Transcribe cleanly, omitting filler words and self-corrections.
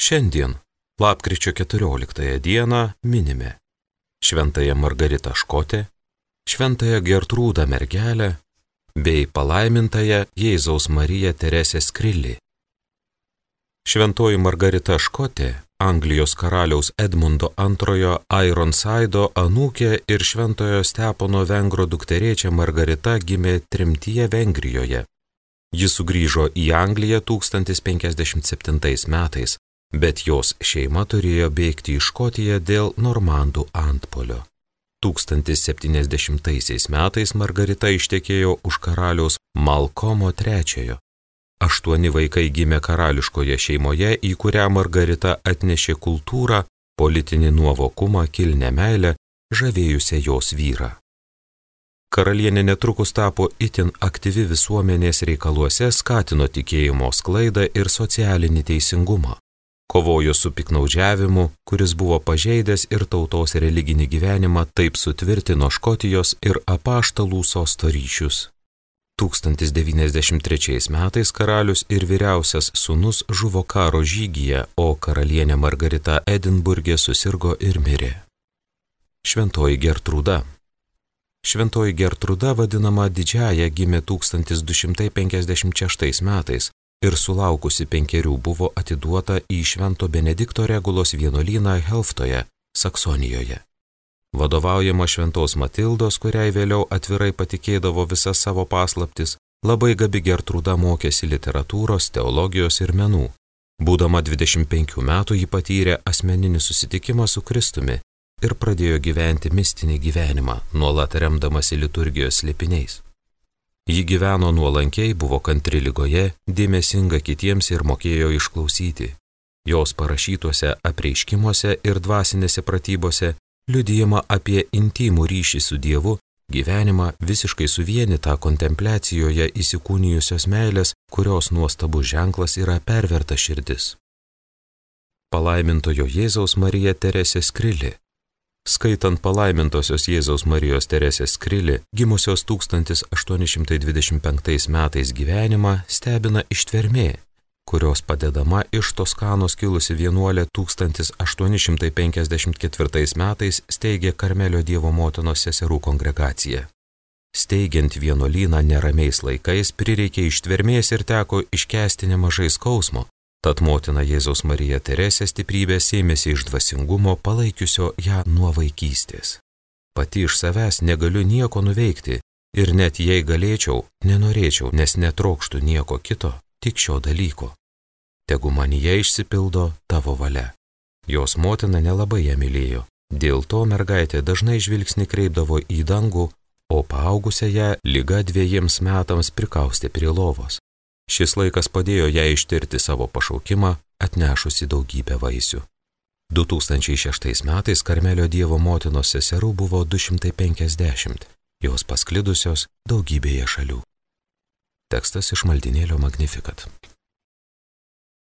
Šiandien, lapkričio 14 dieną, minime Šventąją Margaritą Škotę, Šventąją Gertrūdą Mergelę bei palaimintąją Jėzaus Mariją Teresę Skrilį. Šventoji Margarita Škotė, Anglijos karaliaus Edmundo II Ironsido anūkė ir Šventojo Stepono Vengro dukterėčia Margarita gimė tremtyje Vengrijoje. Ji sugrįžo į Angliją 1057 metais, bet jos šeima turėjo bėgti į Škotiją dėl normandų antpuolio. 1070 metais Margarita ištekėjo už karaliaus Malkomo III. 8 vaikai gimė karališkoje šeimoje, į kurią Margarita atnešė kultūrą, politinį nuovokumą, kilnią meilę, žavėjusią jos vyrą. Karalienė netrukus tapo itin aktyvi visuomenės reikaluose, skatino tikėjimo sklaidą ir socialinį teisingumą. Kovojo su piknaudžiavimu, kuris buvo pažeidęs ir tautos religinį gyvenimą, taip sutvirtino Škotijos ir apaštalų sosto ryšius. 1093 metais karalius ir vyriausias sūnus žuvo karo žygyje, o karalienė Margarita Edinburge susirgo ir mirė. Šventoji Gertrūda. Šventoji Gertrūda, vadinama Didžiąja, gimė 1256 metais ir sulaukusi 5 buvo atiduota į Švento Benedikto Regulos vienuolyną Helftoje, Saksonijoje. Vadovaujama Šventos Matildos, kuriai vėliau atvirai patikėdavo visas savo paslaptis, labai gabi Gertrūda mokėsi literatūros, teologijos ir menų. Būdama 25 metų ji patyrė asmeninį susitikimą su Kristumi ir pradėjo gyventi mistinį gyvenimą, nuolat remdamasi liturgijos slėpiniais. Ji gyveno nuolankiai, buvo kantri ligoje, dėmesinga kitiems ir mokėjo išklausyti. Jos parašytuose apreiškimuose ir dvasinėse pratybose liudijama apie intimų ryšį su Dievu, gyvenimą visiškai suvienytą kontempliacijoje įsikūnijusios meilės, kurios nuostabus ženklas yra perverta širdis. Palaimintojo Jėzaus Marija Teresė Skrilį. Skaitant palaimintosios Jėzaus Marijos Teresės Skrilį, gimusios 1825 metais gyvenimą, stebina ištvermė, kurios padedama iš Toskanos kilusi vienuolė 1854 metais steigė Karmelio Dievo motinos seserų kongregaciją. Steigiant vienuolyną neramiais laikais prireikė ištvermės ir teko iškęsti nemažai skausmo, tad motina Jėzaus Marija Teresė stiprybės ėmėsi iš dvasingumo, palaikiusio ją nuo vaikystės. Pati iš savęs negaliu nieko nuveikti ir net jei galėčiau, nenorėčiau, nes netrokštų nieko kito, tik šio dalyko. Tegu manyje išsipildo tavo valia. Jos motina nelabai ją mylėjo. Dėl to mergaitė dažnai žvilgsnį kreipdavo į dangų, o paaugusią ją liga 2 metams prikaustė prie lovos. Šis laikas padėjo ją ištirti savo pašaukimą, atnešusi daugybę vaisių. 2006 metais Karmelio Dievo motinos seserų buvo 250, jos pasklidusios daugybėje šalių. Tekstas iš maldynėlio Magnificat.